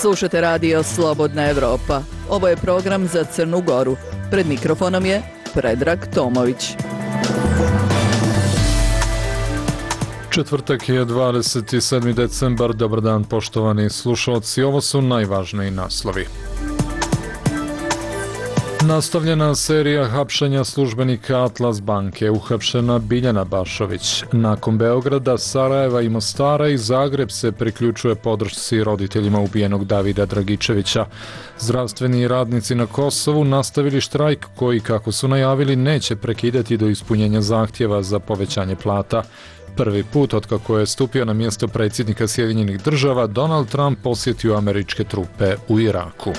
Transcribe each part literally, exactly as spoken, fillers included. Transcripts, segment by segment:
Slušate radio Slobodna Evropa. Ovo je program za Crnu Goru. Pred mikrofonom je Predrag Tomović. Četvrtak je dvadeset sedmi decembar. Dobar dan poštovani slušalci. Ovo su najvažniji naslovi. Nastavljena serija hapšenja službenika Atlas banke, uhapšena Biljana Bašović. Nakon Beograda, Sarajeva i Mostara i Zagreb se priključuje podršci roditeljima ubijenog Davida Dragičevića. Zdravstveni radnici na Kosovu nastavili štrajk koji, kako su najavili, neće prekidati do ispunjenja zahtjeva za povećanje plata. Prvi put otkako je stupio na mjesto predsjednika Sjedinjenih država, Donald Trump posjetio američke trupe u Iraku.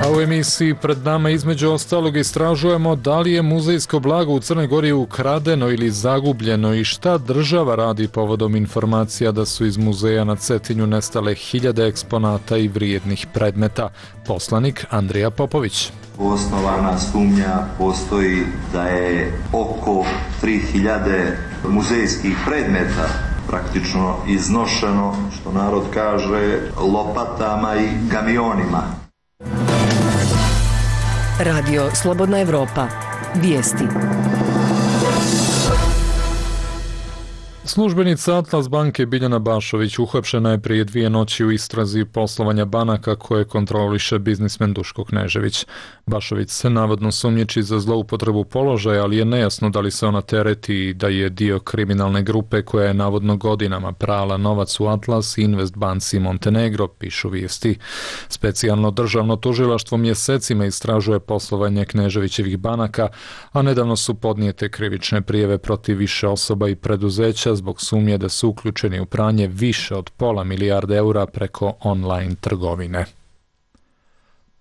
A u emisiji pred nama između ostalog istražujemo da li je muzejsko blago u Crnoj Gori ukradeno ili zagubljeno i šta država radi povodom informacija da su iz muzeja na Cetinju nestale hiljade eksponata i vrijednih predmeta. Poslanik Andrija Popović. Osnovana sumnja postoji da je oko tri hiljade muzejskih predmeta praktično iznošeno, što narod kaže, lopatama i kamionima. Radio Slobodna Evropa. Vijesti. Službenica Atlas banke Biljana Bašović uhapšena je prije dvije noći u istrazi poslovanja banaka koje kontroliše biznismen Duško Knežević. Bašović se navodno sumnjiči za zloupotrebu položaja, ali je nejasno da li se ona tereti i da je dio kriminalne grupe koja je navodno godinama prala novac u Atlas i Invest banci Montenegro, pišu vijesti. Specijalno državno tužilaštvo mjesecima istražuje poslovanje Kneževićevih banaka, a nedavno su podnijete krivične prijave protiv više osoba i preduzeća zbog sumnje da su uključeni u pranje više od pola milijarde eura preko online trgovine.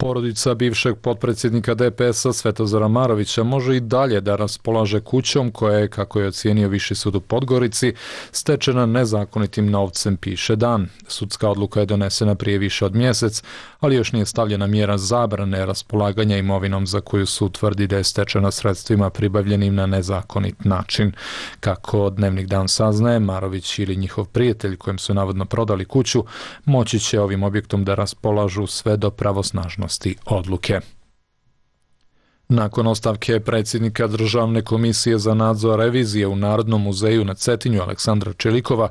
Porodica bivšeg potpredsjednika D P S-a Svetozara Marovića može i dalje da raspolaže kućom koja je, kako je ocijenio Viši sud u Podgorici, stečena nezakonitim novcem, piše Dan. Sudska odluka je donesena prije više od mjesec, ali još nije stavljena mjera zabrane raspolaganja imovinom za koju sud tvrdi da je stečena sredstvima pribavljenim na nezakonit način. Kako Dnevnik Dan saznaje, Marović ili njihov prijatelj kojem su navodno prodali kuću moći će ovim objektom da raspolažu sve do pravosnažnosti odluke. Nakon ostavke predsjednika Državne komisije za nadzor revizije u Narodnom muzeju na Cetinju Aleksandra Čelikova,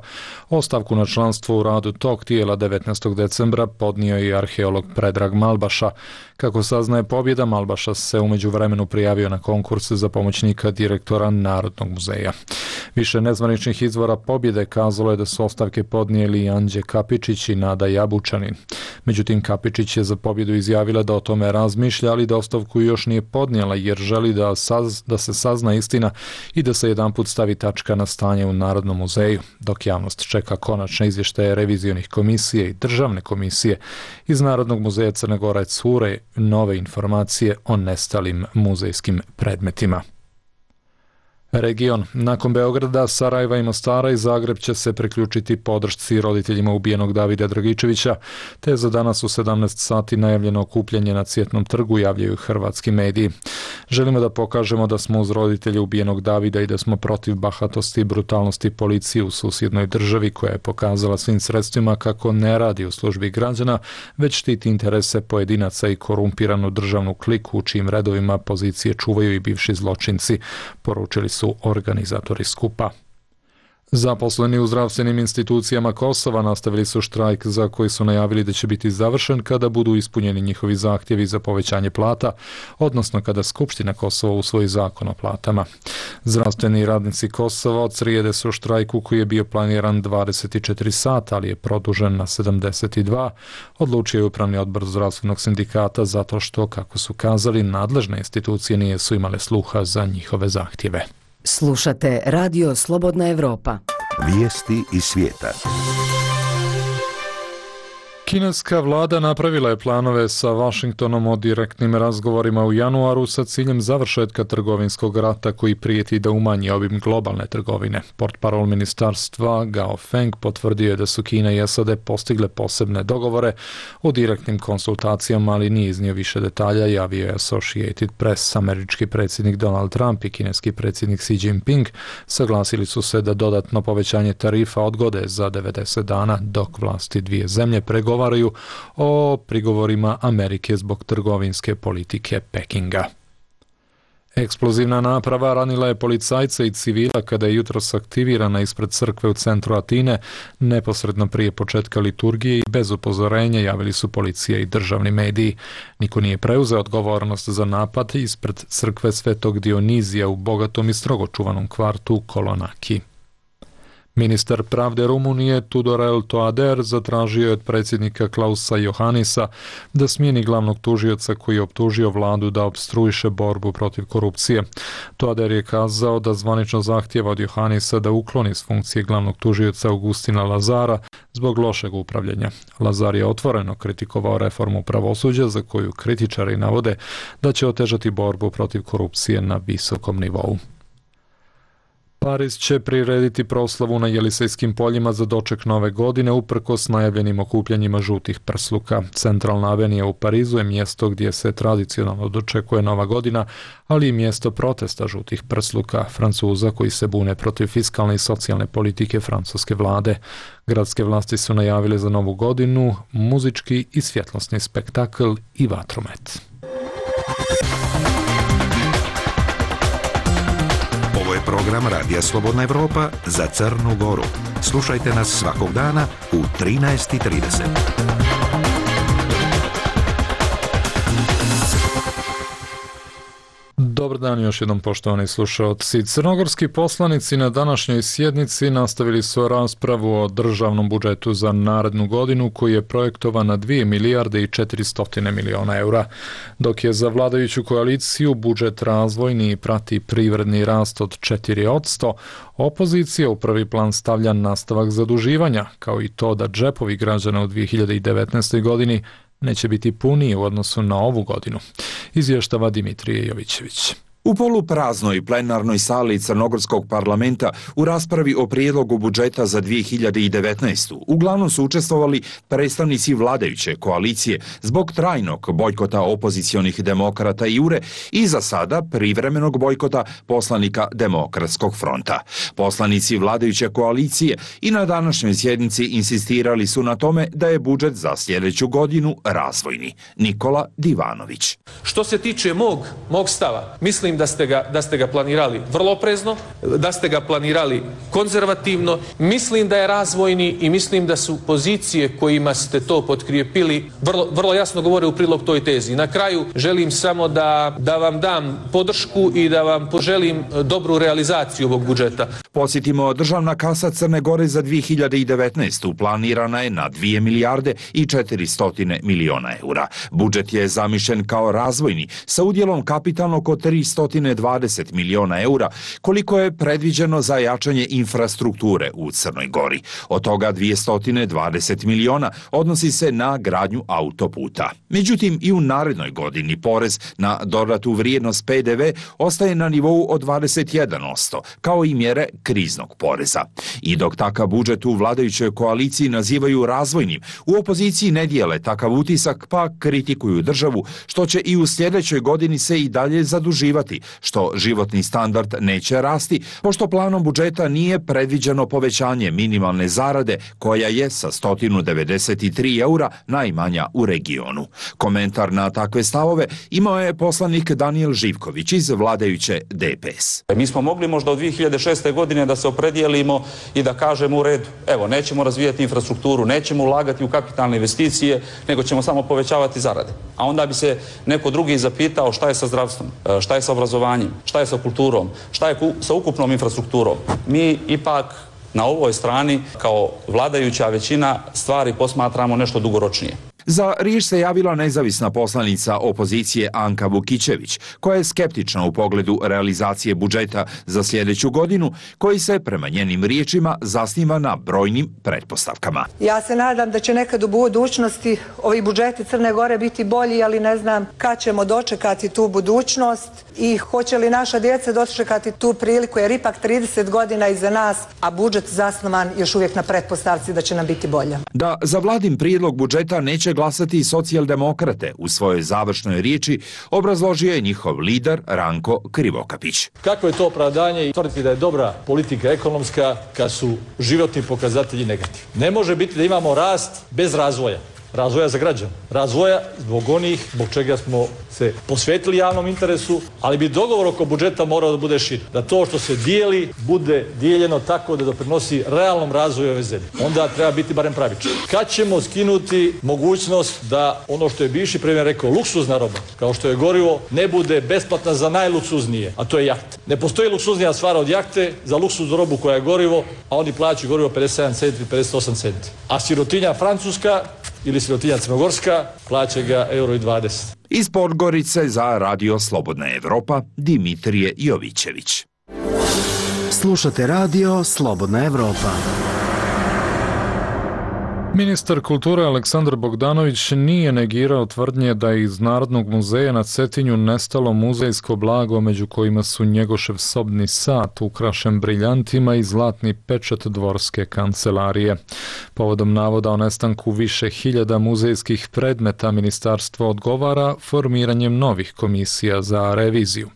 ostavku na članstvo u radu tog tijela devetnaestog decembra podnio je i arheolog Predrag Malbaša. Kako saznaje Pobjeda, Malbaša se u međuvremenu prijavio na konkurs za pomoćnika direktora Narodnog muzeja. Više nezvaničnih izvora Pobjede kazalo je da su ostavke podnijeli Anđe Kapičić i Nada Jabučanin. Međutim, Kapičić je za Pobjedu izjavila da o tome razmišlja, ali da ostavku još nije podnijela jer želi da, saz, da se sazna istina i da se jedanput stavi tačka na stanje u Narodnom muzeju, dok javnost čeka konačne izvještaje revizionih komisije i državne komisije. Iz Narodnog muzeja Crne Gore cure nove informacije o nestalim muzejskim predmetima. Region. Nakon Beograda, Sarajeva i Mostara i Zagreb će se priključiti podršci roditeljima ubijenog Davida Dragičevića, te za danas u sedamnaest sati najavljeno okupljanje na Cvjetnom trgu, javljaju hrvatski mediji. Želimo da pokažemo da smo uz roditelje ubijenog Davida i da smo protiv bahatosti i brutalnosti policije u susjednoj državi koja je pokazala svim sredstvima kako ne radi u službi građana, već štiti interese pojedinaca i korumpiranu državnu kliku u čijim redovima pozicije čuvaju i bivši zločinci, poručili su organizatori skupa. Zaposleni u zdravstvenim institucijama Kosova nastavili su štrajk za koji su najavili da će biti završen kada budu ispunjeni njihovi zahtjevi za povećanje plata, odnosno kada Skupština Kosova usvoji zakon o platama. Zdravstveni radnici Kosova od srijede su štrajku koji je bio planiran dvadeset četiri sata, ali je produžen na sedamdeset dva, odlučio je Upravni odbor zdravstvenog sindikata zato što, kako su kazali, nadležne institucije nisu imale sluha za njihove zahtjeve. Slušate Radio Slobodna Evropa. Vijesti iz svijeta. Kineska vlada napravila je planove sa Washingtonom o direktnim razgovorima u januaru sa ciljem završetka trgovinskog rata koji prijeti da umanji obim globalne trgovine. Portparol ministarstva Gao Feng potvrdio je da su Kina i S A D postigle posebne dogovore o direktnim konsultacijama, ali nije iznio više detalja, javio je Associated Press. Američki predsjednik Donald Trump i kineski predsjednik Xi Jinping saglasili su se da dodatno povećanje tarifa odgode za devedeset dana dok vlasti dvije zemlje pregovaraju o prigovorima Amerike zbog trgovinske politike Pekinga. Eksplozivna naprava ranila je policajca i civila kada je jutros aktivirana ispred crkve u centru Atine, neposredno prije početka liturgije i bez upozorenja, javili su policija i državni mediji. Niko nije preuzeo odgovornost za napad ispred crkve Svetog Dionizija u bogatom i strogo čuvanom kvartu Kolonaki. Ministar pravde Rumunije Tudorel Toader zatražio je od predsjednika Klausa Johannisa da smijeni glavnog tužioca koji je optužio vladu da opstruiše borbu protiv korupcije. Toader je kazao da zvanično zahtjeva od Johannisa da ukloni s funkcije glavnog tužioca Augustina Lazara zbog lošeg upravljanja. Lazar je otvoreno kritikovao reformu pravosuđa za koju kritičari navode da će otežati borbu protiv korupcije na visokom nivou. Pariz će prirediti proslavu na Jelisejskim poljima za doček nove godine uprkos najavljenim okupljanjima žutih prsluka. Centralna avenija u Parizu je mjesto gdje se tradicionalno dočekuje nova godina, ali i mjesto protesta žutih prsluka Francuza koji se bune protiv fiskalne i socijalne politike francuske vlade. Gradske vlasti su najavile za novu godinu muzički i svjetlosni spektakl i vatromet. Ovo je program Radija Slobodna Evropa za Crnu Goru. Slušajte nas svakog dana u trinaest i trideset. Dobar dan još jednom, poštovani slušalci. Crnogorski poslanici na današnjoj sjednici nastavili su raspravu o državnom budžetu za narednu godinu koji je projektovan na dvije milijarde i četiristo miliona eura. Dok je za vladajuću koaliciju budžet razvojni i prati privredni rast od četiri posto, opozicija u prvi plan stavlja nastavak zaduživanja, kao i to da džepovi građana u dvije hiljade devetnaestoj godini neće biti puniji u odnosu na ovu godinu, izvještava Dimitrije Jovićević. U polupraznoj plenarnoj sali Crnogorskog parlamenta u raspravi o prijedlogu budžeta za dvije hiljade devetnaestu uglavnom su učestvovali predstavnici vladajuće koalicije zbog trajnog bojkota opozicionih demokrata i Jure i za sada privremenog bojkota poslanika Demokratskog fronta. Poslanici vladajuće koalicije i na današnjoj sjednici insistirali su na tome da je budžet za sljedeću godinu razvojni. Nikola Divanović. Što se tiče mog, mog stava, mislim da ste ga, da ste ga planirali vrlo oprezno, da ste ga planirali konzervativno, mislim da je razvojni i mislim da su pozicije kojima ste to potkrijepili vrlo, vrlo jasno govore u prilog toj tezi. Na kraju želim samo da, da vam dam podršku i da vam poželim dobru realizaciju ovog budžeta. Podsjetimo, državna kasa Crne Gore za dvije hiljade devetnaestu planirana je na dvije milijarde i četiristo miliona eura. Budžet je zamišljen kao razvojni sa udjelom kapitalnog od tristo dvadeset miliona eura, koliko je predviđeno za jačanje infrastrukture u Crnoj Gori. Od toga dvjesto dvadeset miliona odnosi se na gradnju autoputa. Međutim, i u narednoj godini porez na dodatu vrijednost P D V ostaje na nivou od dvadeset jedan posto, kao i mjere kriznog poreza. I dok takav budžet u vladajućoj koaliciji nazivaju razvojnim, u opoziciji ne dijele takav utisak pa kritikuju državu, što će i u sljedećoj godini se i dalje zaduživati, što životni standard neće rasti, pošto planom budžeta nije predviđeno povećanje minimalne zarade, koja je sa sto devedeset tri eura najmanja u regionu. Komentar na takve stavove imao je poslanik Danijel Živković iz vladajuće D P S. Mi smo mogli možda od dvije hiljade šeste. godine da se opredijelimo i da kažemo u redu, evo, nećemo razvijati infrastrukturu, nećemo ulagati u kapitalne investicije, nego ćemo samo povećavati zarade. A onda bi se neko drugi zapitao šta je sa zdravstvom, šta je sa obrazovanjem, šta je sa kulturom, šta je sa ukupnom infrastrukturom. Mi ipak na ovoj strani kao vladajuća većina stvari posmatramo nešto dugoročnije. Za riječ se javila nezavisna poslanica opozicije Anka Vukićević, koja je skeptična u pogledu realizacije budžeta za sljedeću godinu, koji se, prema njenim riječima, zasniva na brojnim pretpostavkama. Ja se nadam da će nekad u budućnosti ovi budžeti Crne Gore biti bolji, ali ne znam kad ćemo dočekati tu budućnost i hoće li naša djeca dočekati tu priliku, jer ipak trideset godina iza nas, a budžet zasnovan još uvijek na pretpostavci da će nam biti bolja. Da za vladin prijedlog budžeta neće glasati i socijaldemokrate, u svojoj završnoj riječi obrazložio je njihov lider Ranko Krivokapić. Kako je to opravdanje i tvrditi da je dobra politika ekonomska kad su životni pokazatelji negativni? Ne može biti da imamo rast bez razvoja. Razvoja za građane, razvoja zbog onih zbog čega smo se posvetili javnom interesu, ali bi dogovor oko budžeta morao da bude širi. Da to što se dijeli bude dijeljeno tako da doprinosi realnom razvoju ove zemlje. Onda treba biti barem pravičan. Kad ćemo skinuti mogućnost da ono što je bivši premijer rekao, luksuzna roba, kao što je gorivo, ne bude besplatna za najluksuznije, a to je jahta. Ne postoji luksuznija stvar od jahte za luksuznu robu koja je gorivo, a oni plaćaju gorivo pedeset sedam centi, pedeset osam centi. A sirotinja Francuska ili sirotinja Crnogorska plaća ga euro i dvadeset. Iz Podgorice za Radio Slobodna Evropa, Dimitrije Jovićević. Slušate Radio Slobodna Evropa. Ministar kulture Aleksandar Bogdanović nije negirao tvrdnje da je iz Narodnog muzeja na Cetinju nestalo muzejsko blago, među kojima su Njegošev sobni sat ukrašen briljantima i zlatni pečat dvorske kancelarije. Povodom navoda o nestanku više hiljada muzejskih predmeta, ministarstvo odgovara formiranjem novih komisija za reviziju.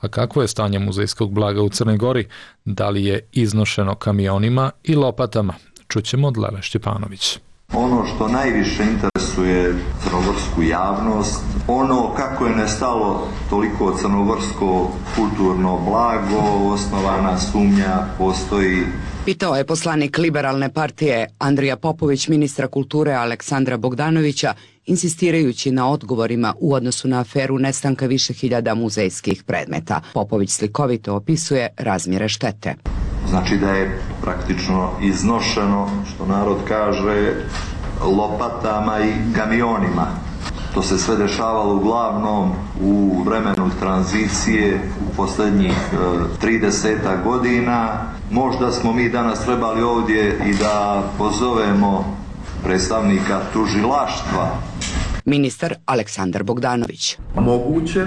A kakvo je stanje muzejskog blaga u Crnoj Gori? Da li je iznošeno kamionima i lopatama? Čućemo od Lele Šćepanović. Ono što najviše interesuje crnogorsku javnost, ono kako je nestalo toliko crnogorsko kulturno blago, osnovana sumnja postoji. Pitao je poslanik Liberalne partije Andrija Popović ministra kulture Aleksandra Bogdanovića, insistirajući na odgovorima u odnosu na aferu nestanka više hiljada muzejskih predmeta. Popović slikovito opisuje razmjere štete. Znači da je praktično iznošeno, što narod kaže, lopatama i kamionima. To se sve dešavalo uglavnom u vremenu tranzicije u posljednjih trideset godina. Možda smo mi danas trebali ovdje i da pozovemo predstavnika tužilaštva. Ministar Aleksandar Bogdanović. Moguće,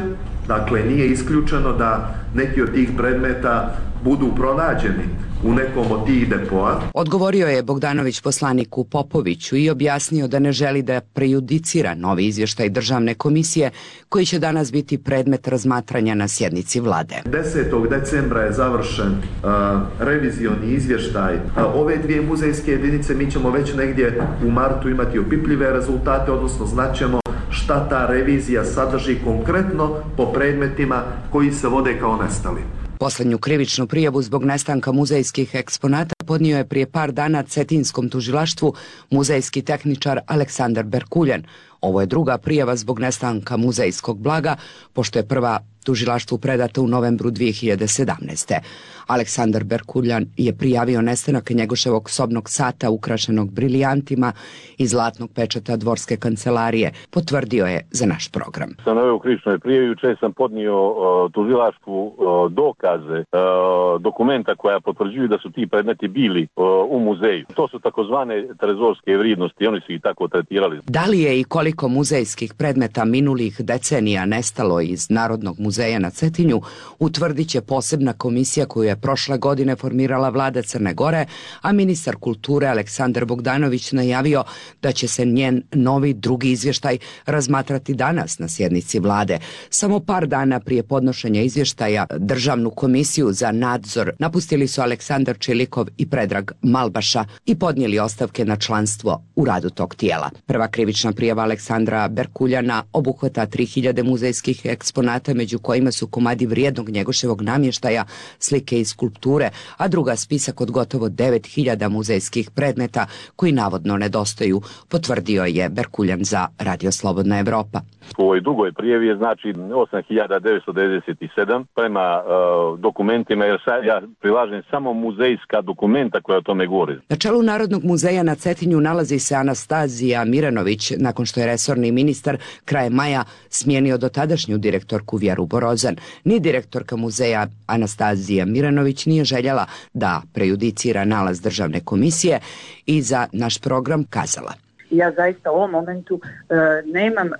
dakle nije isključeno da neki od tih predmeta budu pronađeni u nekom od tih depoa. Odgovorio je Bogdanović poslaniku Popoviću i objasnio da ne želi da prejudicira novi izvještaj Državne komisije koji će danas biti predmet razmatranja na sjednici vlade. desetog decembra je završen uh, revizioni izvještaj. Uh, ove dvije muzejske jedinice mi ćemo već negdje u martu imati opipljive rezultate, odnosno znaćemo šta ta revizija sadrži konkretno po predmetima koji se vode kao nestali. Poslednju krivičnu prijavu zbog nestanka muzejskih eksponata podnio je prije par dana Cetinskom tužilaštvu muzejski tehničar Aleksandar Berkuljan. Ovo je druga prijava zbog nestanka muzejskog blaga, pošto je prva tužilaštvu predata u novembru dvije hiljade sedamnaeste. Aleksandar Berkuljan je prijavio nestanak Njegoševog sobnog sata ukrašenog briljantima i zlatnog pečata dvorske kancelarije. Potvrdio je za naš program. Sam naveo u krivičnoj prijavi, juče sam podnio uh, tužilaštvu uh, dokaze, uh, dokumenta koja potvrđuju da su ti predmeti bili uh, u muzeju. To su takozvane trezorske vrijednosti, oni su ih tako tretirali. Da li je i koliko muzejskih predmeta minulih decenija nestalo iz Narodnog muzeja na Cetinju, utvrdit će posebna komisija koju je prošle godine formirala vlada Crne Gore, a ministar kulture Aleksandar Bogdanović najavio da će se njen novi drugi izvještaj razmatrati danas na sjednici vlade. Samo par dana prije podnošenja izvještaja Državnu komisiju za nadzor napustili su Aleksandar Čilikov i Predrag Malbaša i podnijeli ostavke na članstvo u radu tog tijela. Prva krivična prijava Aleksandra Berkuljana obuhvata tri hiljade muzejskih eksponata, među kojima su komadi vrijednog Njegoševog namještaja, slike i skulpture, a druga spisak od gotovo devet hiljada muzejskih predmeta koji navodno nedostaju, potvrdio je Berkuljan za Radio Slobodna Evropa. U ovoj dugoj prijavi je znači osam hiljada devetsto devedeset sedam prema uh, dokumentima, jer sad ja prilažem samo muzejska dokumenta koja o tome govori. Na čelu Narodnog muzeja na Cetinju nalazi se Anastazija Miranović, nakon što je resorni ministar krajem maja smijenio dotadašnju direktorku Vjeru Borozan. Ni direktorka muzeja Anastazija Miranović nije željela da prejudicira nalaz državne komisije i za naš program kazala: ja zaista u ovom momentu e, nemam e,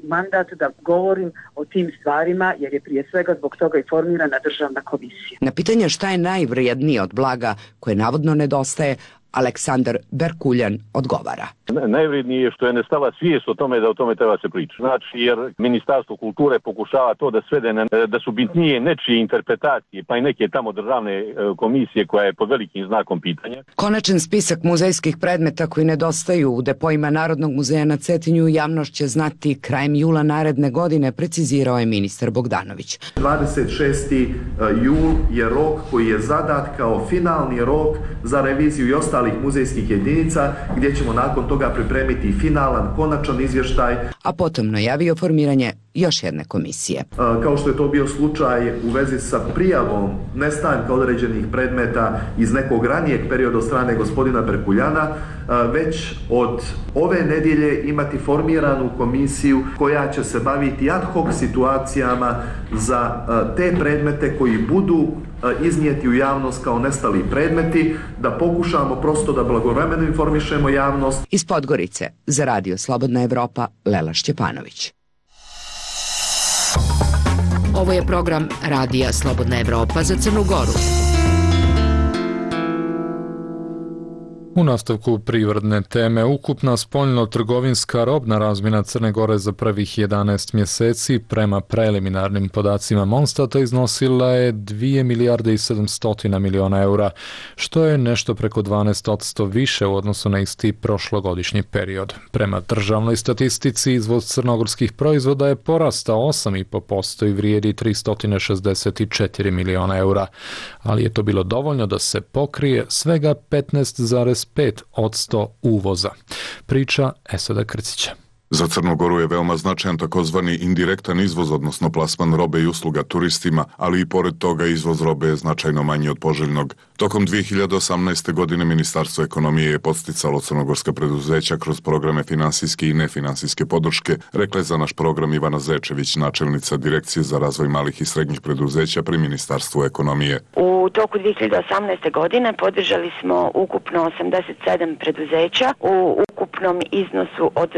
mandat da govorim o tim stvarima, jer je prije svega zbog toga i formirana državna komisija. Na pitanje šta je najvrijednije od blaga koje navodno nedostaje, Aleksandar Berkuljan odgovara: Najvrednije je što je nestala svijest o tome da o tome treba se pričati. Znači, jer Ministarstvo kulture pokušava to da svede na, da su bitnije nečije interpretacije, pa i neke tamo državne komisije koja je pod velikim znakom pitanja. Konačan spisak muzejskih predmeta koji nedostaju u depojima Narodnog muzeja na Cetinju javnost će znati krajem jula naredne godine, precizirao je ministar Bogdanović. dvadeset šesti jul je rok koji je zadat kao finalni rok za reviziju i ostalih muzejskih jedinica, gdje ćemo nakon toga pripremiti finalan, konačan izvještaj. A potom najavio formiranje još jedne komisije. Kao što je to bio slučaj u vezi sa prijavom nestanka određenih predmeta iz nekog ranijeg perioda od strane gospodina Berkuljana, već od ove nedjelje imati formiranu komisiju koja će se baviti ad hoc situacijama za te predmete koji budu iznijeti u javnost kao nestali predmeti, da pokušamo prosto da blagovremeno informišemo javnost. Iz Podgorice za Radio Slobodna Evropa, Lela Šćepanović. Ovo je program Radija Slobodna Evropa za Crnu Goru. U nastavku privredne teme, ukupna spoljno-trgovinska robna razmjena Crne Gore za prvih jedanaest mjeseci prema preliminarnim podacima Monstata iznosila je dvije milijarde i sedamsto miliona eura, što je nešto preko dvanaest posto više u odnosu na isti prošlogodišnji period. Prema državnoj statistici, izvoz crnogorskih proizvoda je porastao osam i po posto i vrijedi tristo šezdeset četiri miliona eura, ali je to bilo dovoljno da se pokrije svega petnaest zarez pet posto uvoza. Priča Esada Krcića. Za Crnu Goru je veoma značajan takozvani indirektan izvoz, odnosno plasman robe i usluga turistima, ali i pored toga izvoz robe je značajno manji od poželjnog. Tokom dvije hiljade osamnaeste. godine Ministarstvo ekonomije je podsticalo crnogorska preduzeća kroz programe finansijske i nefinansijske podrške, rekla je za naš program Ivana Zečević, načelnica Direkcije za razvoj malih i srednjih preduzeća pri Ministarstvu ekonomije. U toku dvije hiljade osamnaeste. godine podržali smo ukupno osamdeset sedam preduzeća u ukupnom iznosu od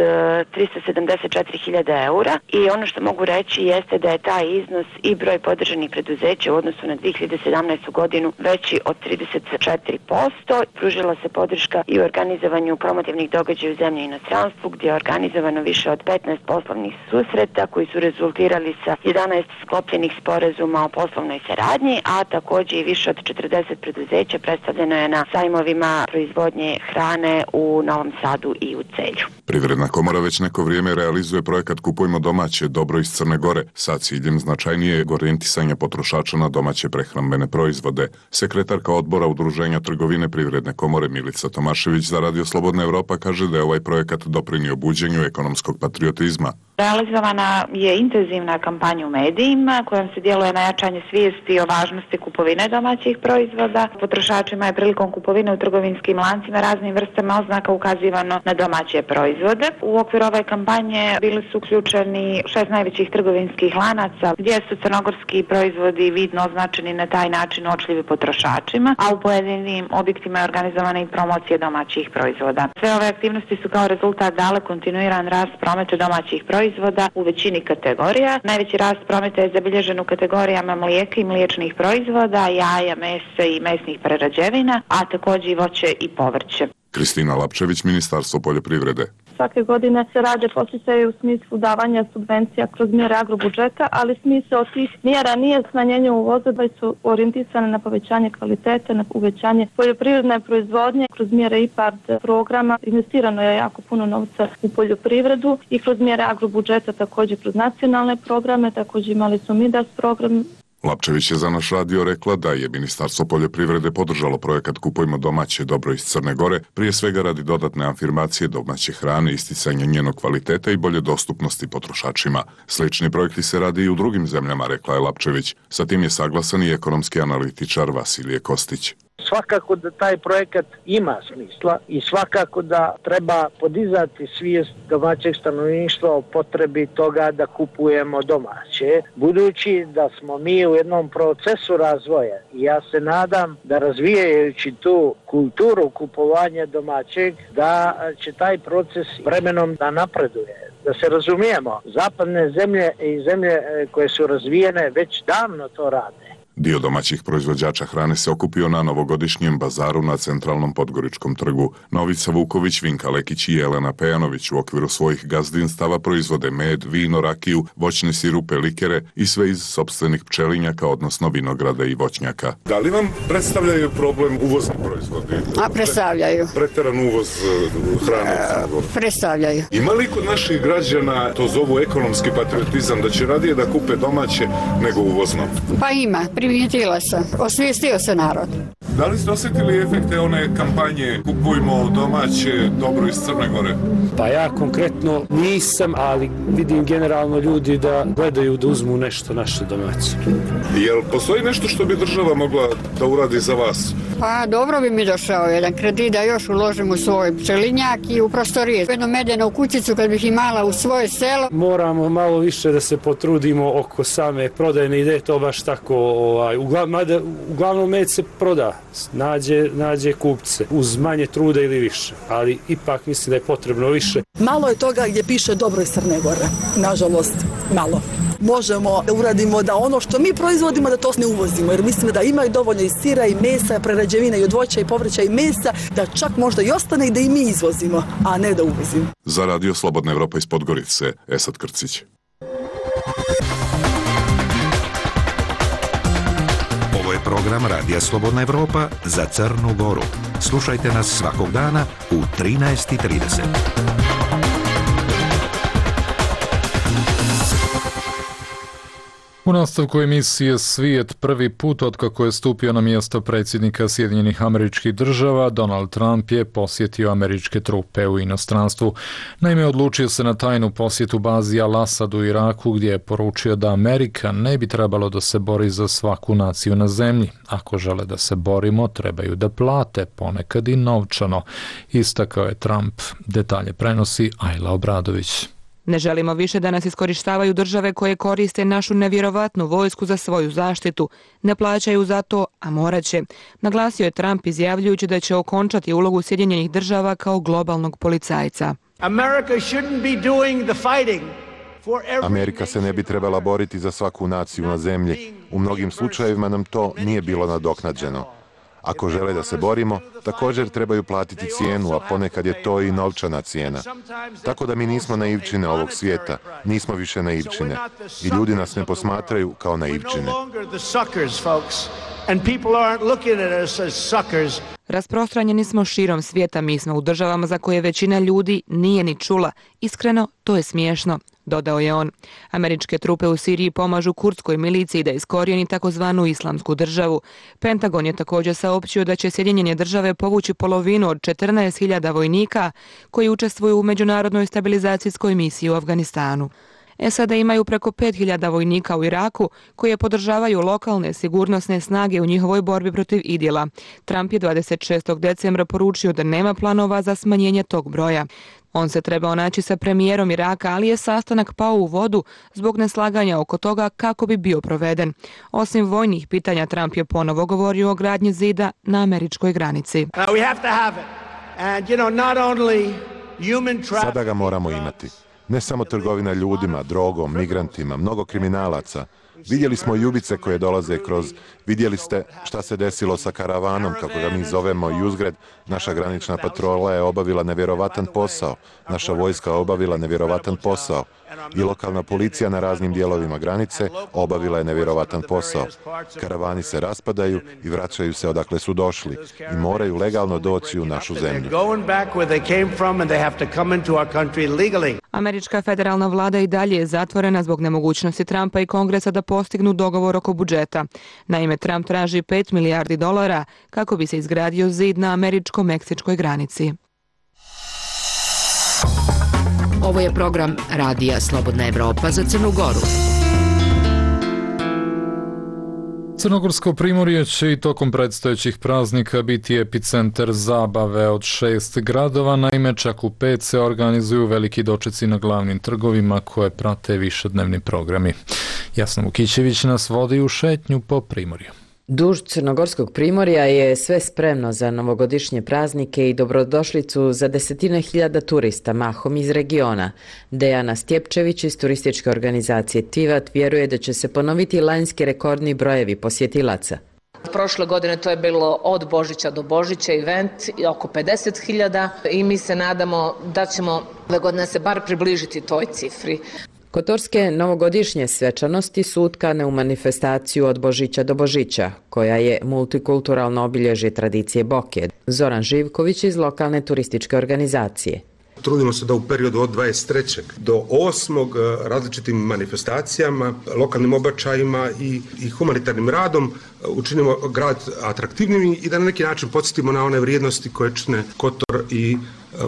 tristo sedamdeset četiri hiljade eura i ono što mogu reći jeste da je taj iznos i broj podržanih preduzeća u odnosu na dvije hiljade sedamnaestu. godinu veći od trideset četiri posto. Pružila se podrška i u organizovanju promotivnih događaja u zemlji i inostranstvu, gdje je organizovano više od petnaest poslovnih susreta koji su rezultirali sa jedanaest sklopljenih sporazuma o poslovnoj saradnji, a također i više od četrdeset preduzeća predstavljeno je na sajmovima proizvodnje hrane u Novom Sadu i u Celju. Privredna komora već neko vrijeme realizuje projekat Kupujmo domaće, dobro iz Crne Gore, sa ciljem značajnijeg orijentisanja potrošača na domaće prehrambene proizvode. Sekretarka odbora Udruženja trgovine Privredne komore Milica Tomašević za Radio Slobodna Evropa kaže da je ovaj projekat doprinio buđenju ekonomskog patriotizma. Realizovana je intenzivna kampanja u medijima kojom se djeluje na jačanje svijesti o važnosti kupovine domaćih proizvoda. Potrošačima je prilikom kupovine u trgovinskim lancima raznim vrstama oznaka ukazivano na domaće proizvode. U okviru ove kampanje bili su uključeni šest najvećih trgovinskih lanaca gdje su crnogorski proizvodi vidno označeni na taj način uočljivi potrošačima, a u pojedinim objektima je organizovana i promocija domaćih proizvoda. Sve ove aktivnosti su kao rezultat dale kontinuiran rast prometa domaćih proizvoda u većini kategorija. Najveći rast prometa je zabilježen u kategorijama mlijeka i mliječnih proizvoda, jaja, mesa i mesnih prerađevina, a također i voće i povrće. Kristina Lapčević, Ministarstvo poljoprivrede. Svake godine se rade posticaji u smislu davanja subvencija kroz mjere agrobudžeta, ali smisao tih mjera nije smanjenje uvoza, već su orijentisane na povećanje kvalitete, na uvećanje poljoprivredne proizvodnje. Kroz mjere I P A R D programa investirano je jako puno novca u poljoprivredu i kroz mjere agrobudžeta, također kroz nacionalne programe, također imali su Midas program. Lapčević je za naš radio rekla da je Ministarstvo poljoprivrede podržalo projekat Kupujmo domaće dobro iz Crne Gore, prije svega radi dodatne afirmacije domaće hrane, isticanja njenog kvaliteta i bolje dostupnosti potrošačima. Slični projekti se radi i u drugim zemljama, rekla je Lapčević. Sa tim je saglasan i ekonomski analitičar Vasilije Kostić. Svakako da taj projekat ima smisla i svakako da treba podizati svijest domaćeg stanovništva o potrebi toga da kupujemo domaće, budući da smo mi u jednom procesu razvoja i ja se nadam da razvijajući tu kulturu kupovanja domaćeg, da će taj proces vremenom da napreduje. Da se razumijemo, zapadne zemlje i zemlje koje su razvijene već davno to rade. Dio domaćih proizvođača hrane se okupio na novogodišnjem bazaru na centralnom Podgoričkom trgu. Novica Vuković, Vinka Lekić i Jelena Pejanović u okviru svojih gazdinstava proizvode med, vino, rakiju, voćne sirupe, likere i sve iz sopstvenih pčelinjaka, odnosno vinograda i voćnjaka. Da li vam predstavljaju problem uvozni proizvodi? A predstavljaju. Preteran uvoz hrane? Predstavljaju. Ima li kod naših građana, to zovu ekonomski patriotizam, da će radije da kupe domaće nego uvozno? Pa ima. Primijetila sam. Osvijestio se narod. Da li ste osjetili efekte one kampanje Kupujmo domaće dobro iz Crne Gore? Pa ja konkretno nisam, ali vidim generalno ljudi da gledaju da uzmu nešto naše domaće. Jel postoji nešto što bi država mogla da uradi za vas? Pa dobro bi mi došao jedan kredit da još uložim u svoj pčelinjak i u prostorije. Jednu medenu kućicu kad bih imala u svoje selo. Moramo malo više da se potrudimo oko same prodajne ideje, to baš tako, ovaj, uglavnom, uglavnom med se proda, nađe, nađe kupce, uz manje truda ili više, ali ipak mislim da je potrebno više. Malo je toga gdje piše dobro iz Crne Gore, nažalost, malo. Možemo da uradimo da ono što mi proizvodimo da to ne uvozimo, jer mislim da ima i dovoljno i sira i mesa, prerađevina i od voća i povrća i mesa, da čak možda i ostane i da i mi izvozimo, a ne da uvozimo. Za radio Slobodna Evropa iz Podgorice, Esad Krcić. Ovo je program Radija Slobodna Evropa za Crnu Goru. Slušajte nas svakog dana u trinaest i trideset. U nastavku emisije Svijet prvi put otkako je stupio na mjesto predsjednika Sjedinjenih Američkih Država, Donald Trump je posjetio američke trupe u inostranstvu. Naime, odlučio se na tajnu posjetu bazi Al-Asad u Iraku, gdje je poručio da Amerika ne bi trebalo da se bori za svaku naciju na zemlji. Ako žele da se borimo, trebaju da plate, ponekad i novčano, istakao je Trump. Detalje prenosi Ajla Obradović. Ne želimo više da nas iskorištavaju države koje koriste našu nevjerovatnu vojsku za svoju zaštitu. Ne plaćaju za to, a morat će. Naglasio je Trump izjavljujući da će okončati ulogu Sjedinjenih država kao globalnog policajca. Amerika se ne bi trebala boriti za svaku naciju na zemlji. U mnogim slučajevima nam to nije bilo nadoknađeno. Ako žele da se borimo, također trebaju platiti cijenu, a ponekad je to i novčana cijena. Tako da mi nismo naivčine ovog svijeta, nismo više naivčine. I ljudi nas ne posmatraju kao naivčine. Rasprostranjeni smo širom svijeta, mi smo u državama za koje većina ljudi nije ni čula. Iskreno, to je smiješno, dodao je on. Američke trupe u Siriji pomažu kurdskoj miliciji da iskorijeni takozvanu islamsku državu. Pentagon je također saopćio da će Sjedinjene države povući polovinu od četrnaest hiljada vojnika koji učestvuju u međunarodnoj stabilizacijskoj misiji u Afganistanu. S A D imaju preko pet hiljada vojnika u Iraku koje podržavaju lokalne sigurnosne snage u njihovoj borbi protiv Idila. Trump je dvadeset šestog decembra poručio da nema planova za smanjenje tog broja. On se trebao naći sa premijerom Iraka, ali je sastanak pao u vodu zbog neslaganja oko toga kako bi bio proveden. Osim vojnih pitanja, Trump je ponovo govorio o gradnji zida na američkoj granici. Sada ga moramo imati. Ne samo trgovina ljudima, drogom, migrantima, mnogo kriminalaca. Vidjeli smo i ubice koje dolaze kroz, vidjeli ste šta se desilo sa karavanom, kako ga mi zovemo, i uzgred Naša granična patrola je obavila nevjerovatan posao, naša vojska obavila nevjerovatan posao i lokalna policija na raznim dijelovima granice obavila je nevjerovatan posao. Karavani se raspadaju i vraćaju se odakle su došli i moraju legalno doći u našu zemlju. Američka federalna vlada i dalje je zatvorena zbog nemogućnosti Trumpa i Kongresa da postignu dogovor oko budžeta. Naime, Trump traži pet milijardi dolara kako bi se izgradio zid na američko-meksičkoj granici. Ovo je program Radija Slobodna Evropa za Crnu Goru. Crnogorsko primorje će i tokom predstojećih praznika biti epicentar zabave od šest gradova, naime čak u pet se organizuju veliki dočeci na glavnim trgovima koje prate višednevni programi. Jasna Vukićević nas vodi u šetnju po primorju. Duž Crnogorskog primorja je sve spremno za novogodišnje praznike i dobrodošlicu za desetine hiljada turista, mahom iz regiona. Dejana Stjepčević iz turističke organizacije Tivat vjeruje da će se ponoviti lanjski rekordni brojevi posjetilaca. Prošle godine to je bilo od Božića do Božića event oko pedeset hiljada i mi se nadamo da ćemo ove godine se bar približiti toj cifri. Kotorske novogodišnje svečanosti su utkane u manifestaciju od Božića do Božića, koja je multikulturalno obilježje tradicije Boke. Zoran Živković iz lokalne turističke organizacije. Trudimo se da u periodu od dvadeset trećeg do osmog različitim manifestacijama, lokalnim obačajima i, i humanitarnim radom učinimo grad atraktivnim i da na neki način podsjetimo na one vrijednosti koje čine Kotor i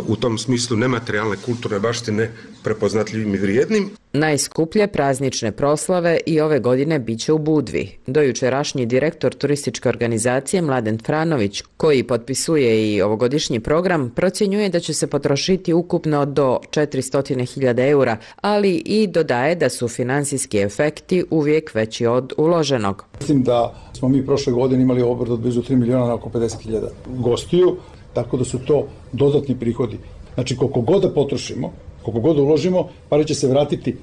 u tom smislu nematerijalne kulturne baštine prepoznatljivim i vrijednim. Najskuplje praznične proslave i ove godine biće u Budvi. Dojučerašnji direktor turističke organizacije Mladen Franović, koji potpisuje i ovogodišnji program, procjenjuje da će se potrošiti ukupno do četiristo hiljada eura, ali i dodaje da su finansijski efekti uvijek veći od uloženog. Mislim da smo mi prošle godine imali obrt od blizu tri miliona na oko pedeset hiljada gostiju, tako da su to dodatni prihodi. Znači, koliko god da potrošimo, koliko god da uložimo, pare će se vratiti.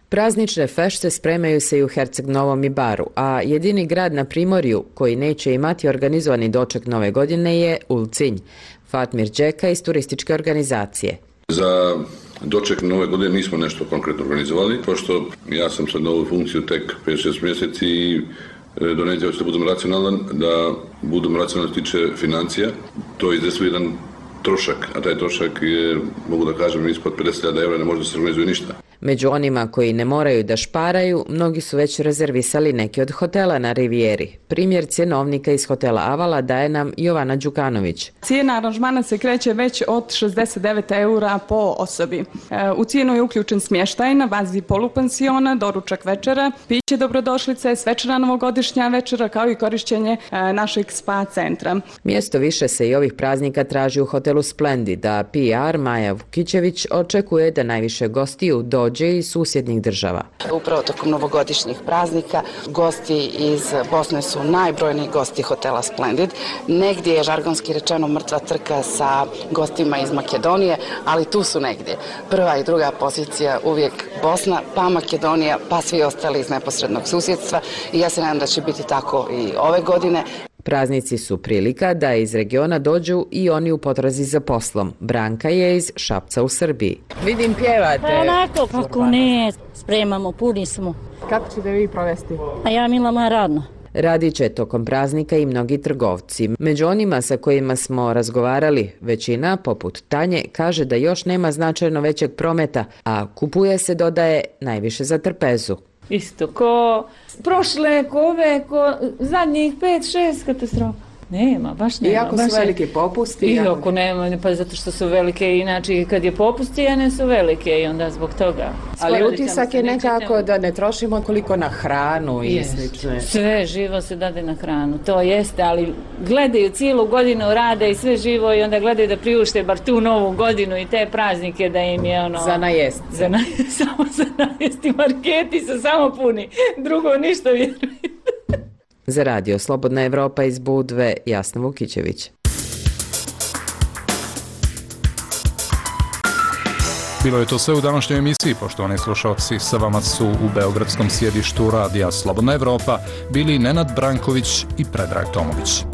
Praznične fešte spremaju se i u Herceg Novom i Baru, a jedini grad na Primorju koji neće imati organizovani doček nove godine je Ulcinj. Fatmir Đeka iz turističke organizacije. Za doček nove godine nismo nešto konkretno organizovali, pošto ja sam sad na ovu funkciju tek pet šest mjeseci i donedje hoću da budem racionalan, da budem racionalan tiče financija. To je izdeslio jedan trošak, a taj trošak je, mogu da kažem, ispod pedeset hiljada eura, ne može da se organizuje ništa. Među onima koji ne moraju da šparaju, mnogi su već rezervisali neke od hotela na Rivijeri. Primjer cjenovnika iz hotela Avala daje nam Jovana Đukanović. Cijena aranžmana se kreće već od šezdeset devet eura po osobi. U cijenu je uključen smještaj na bazi polupansiona, doručak večera, piće dobrodošlice, svečana novogodišnja večera kao i korišćenje našeg spa centra. Mjesto više se i ovih praznika traži u hotelu Splendid, a P R Maja Vukićević očekuje da najviše gostiju dođe iz susjednih država. Upravo tokom novogodišnjih praznika gosti iz Bosne su najbrojniji gosti hotela Splendid. Negdje je žargonski rečeno mrtva trka sa gostima iz Makedonije, ali tu su negdje. Prva i druga pozicija uvijek Bosna, pa Makedonija, pa svi ostali iz neposrednog susjedstva i ja se nadam da će biti tako i ove godine. Praznici su prilika da iz regiona dođu i oni u potrazi za poslom. Branka je iz Šapca u Srbiji. Vidim pjevate. Pa onako, kako ne, spremamo, puni smo. Kako ćete vi provesti? A ja mila moja radno. Radit će tokom praznika i mnogi trgovci. Među onima sa kojima smo razgovarali, većina, poput Tanje, kaže da još nema značajno većeg prometa, a kupuje se, dodaje, najviše za trpezu. Isto, ko prošle, ko ove, ko zadnjih pet, šest katastrofa. Nema, baš nema. Iako su velike popusti. Iako nema, pa zato što su velike, inače kad je popusti, a ne su velike i onda zbog toga. Ali utisak je nekako da ne trošimo koliko na hranu i slično. Sve živo se dade na hranu, to jeste, ali gledaju cijelu godinu, rade i sve živo i onda gledaju da priušte bar tu novu godinu i te praznike da im je ono... Za najest. Za na, samo za najest i marketi su samo puni, drugo ništa vjerujem. Za radio Slobodna Evropa iz Budve, Jasna Vukićević. Bilo je to sve u današnjoj emisiji, poštovani slušalci. Sa vama su u beogradskom sjedištu radija Slobodna Evropa bili Nenad Branković i Predrag Tomović.